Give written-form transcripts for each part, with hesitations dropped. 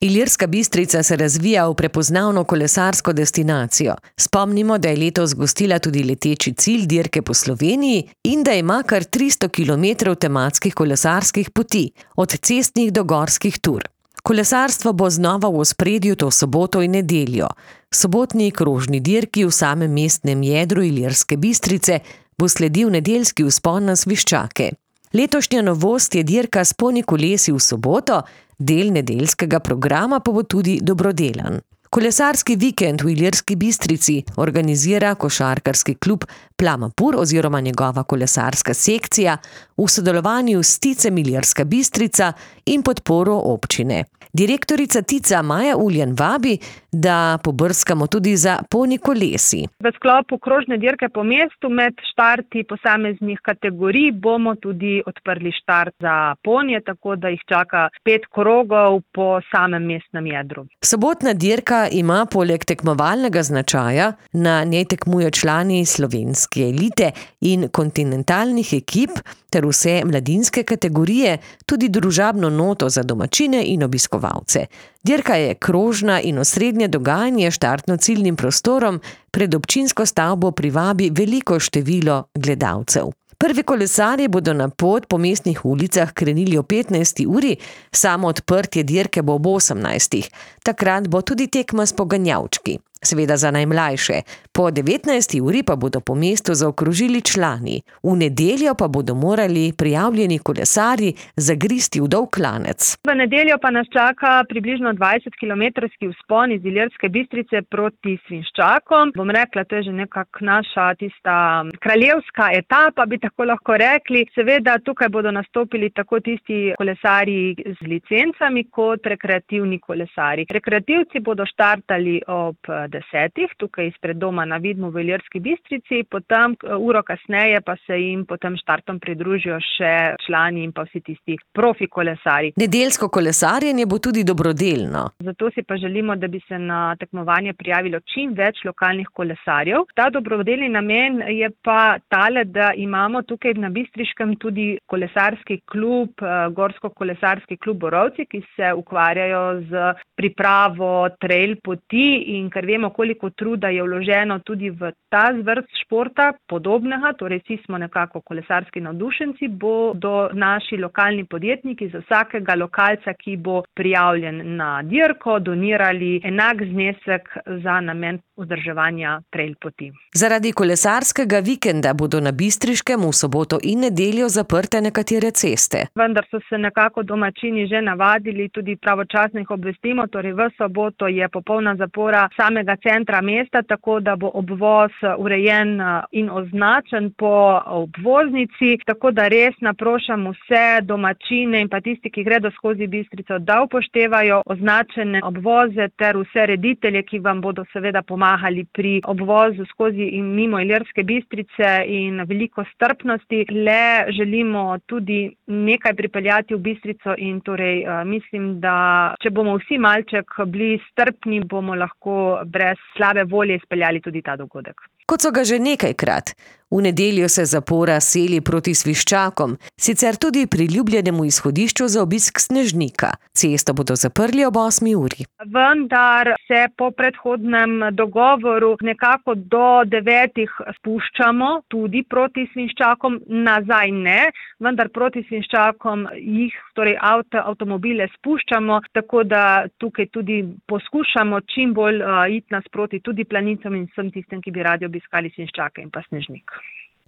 Ilirska Bistrica se razvija v prepoznavno kolesarsko destinacijo. Spomnimo, da je letos gostila tudi leteči cilj dirke po Sloveniji in da ima kar 300 kilometrov tematskih kolesarskih poti, od cestnih do gorskih tur. Kolesarstvo bo znova v ospredju to soboto in nedeljo. Sobotni krožni dirki v samem mestnem jedru Ilirske Bistrice bo sledil nedeljski vzpon na Sviščake. Letošnja novost je dirka s ponji kolesi v soboto, del nedeljskega programa pa bo tudi dobrodelen. Kolesarski vikend v Ilirski Bistrici organizira košarkarski klub Plamapur oziroma njegova kolesarska sekcija v sodelovanju s Ticem Ilirska Bistrica in podporo občine. Direktorica Tica Maja Uljan vabi, da pobrskamo tudi za ponji kolesi. V sklopu krožne dirke po mestu med štarti posameznih kategorij bomo tudi odprli štart za ponje, tako da jih čaka 5 krogov po samem mestnem jedru. Sobotna dirka ima poleg tekmovalnega značaja, na njej tekmujejo člani slovenske elite in kontinentalnih ekip ter vse mladinske kategorije, tudi družabno noto za domačine in obiskovalce. Dirka je krožna in osrednje dogajanje štartno-ciljnim prostorom pred občinsko stavbo privabi veliko število gledalcev. Prvi kolesarji bodo na pot po mestnih ulicah krenili o 15. uri, samo odprtje dirke bo ob 18. Takrat bo tudi tekma s poganjavčki, seveda za najmlajše. Po 19. uri pa bodo po mestu zaokrožili člani. V nedeljo pa bodo morali prijavljeni kolesarji zagristi v dolg klanec. V nedeljo pa nas čaka približno 20-kilometrski vzpon iz Ilirske Bistrice proti Svinščakom. Bom rekla, to je že nekako naša tista kraljevska etapa, bi tako lahko rekli. Seveda tukaj bodo nastopili tako tisti kolesarji z licencami kot rekreativni kolesarji. Rekreativci bodo štartali ob 10. tukaj izpred doma na Vidmu v Ilirski Bistrici, potem uro kasneje pa se jim potem štartom pridružijo še člani in pa vsi tisti profi kolesarji. Nedeljsko kolesarjenje bo tudi dobrodelno. Zato si pa želimo, da bi se na tekmovanje prijavilo čim več lokalnih kolesarjev. Ta dobrodelni namen je pa tale, da imamo tukaj na Bistriškem tudi kolesarski klub, gorsko-kolesarski klub Borovci, ki se ukvarjajo z pripravo trail poti in ker vemo, koliko truda je vloženo tudi v ta zvrst športa podobnega, torej vsi smo nekako kolesarski navdušenci, bodo naši lokalni podjetniki za vsakega lokalca, ki bo prijavljen na dirko, donirali enak znesek za namen vzdrževanja trail poti. Zaradi kolesarskega vikenda bodo na Bistriškem v soboto in nedeljo zaprte nekatere ceste. Vendar so se nekako domačini že navadili, tudi pravočasno jih obvestimo, torej v soboto je popolna zapora samega centra mesta, tako da bo obvoz urejen in označen po obvoznici, tako da res naprošam vse domačine in pa tisti, ki gredo skozi Bistrico, da upoštevajo označene obvoze ter vse reditelje, ki vam bodo seveda pomagali pri obvozu skozi in mimo Ilirske Bistrice in veliko strpnosti. Le želimo tudi nekaj pripeljati v Bistrico in torej mislim, da če bomo vsi malček bili strpni, bomo lahko brez slabe volje izpeljali tudi ta dogodek. Kot so ga že nekajkrat. V nedeljo se zapora seli proti Sviščakom, sicer tudi priljubljenemu izhodišču za obisk Snežnika. Cesto bodo zaprli ob 8. uri. Vendar se po predhodnem dogovoru nekako do 9. spuščamo tudi proti Svinščakom, nazaj ne, vendar proti Svinščakom jih, torej avtomobile spuščamo, tako da tukaj tudi poskušamo čim bolj iti nasproti tudi planicam in vsem tistem, ki bi radi obiskali Svinščake in pa Snežnik.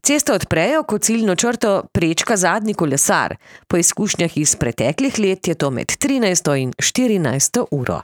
Cesto odprejo, ko ciljno črto prečka zadnji kolesar. Po izkušnjah iz preteklih let je to med 13. in 14. uro.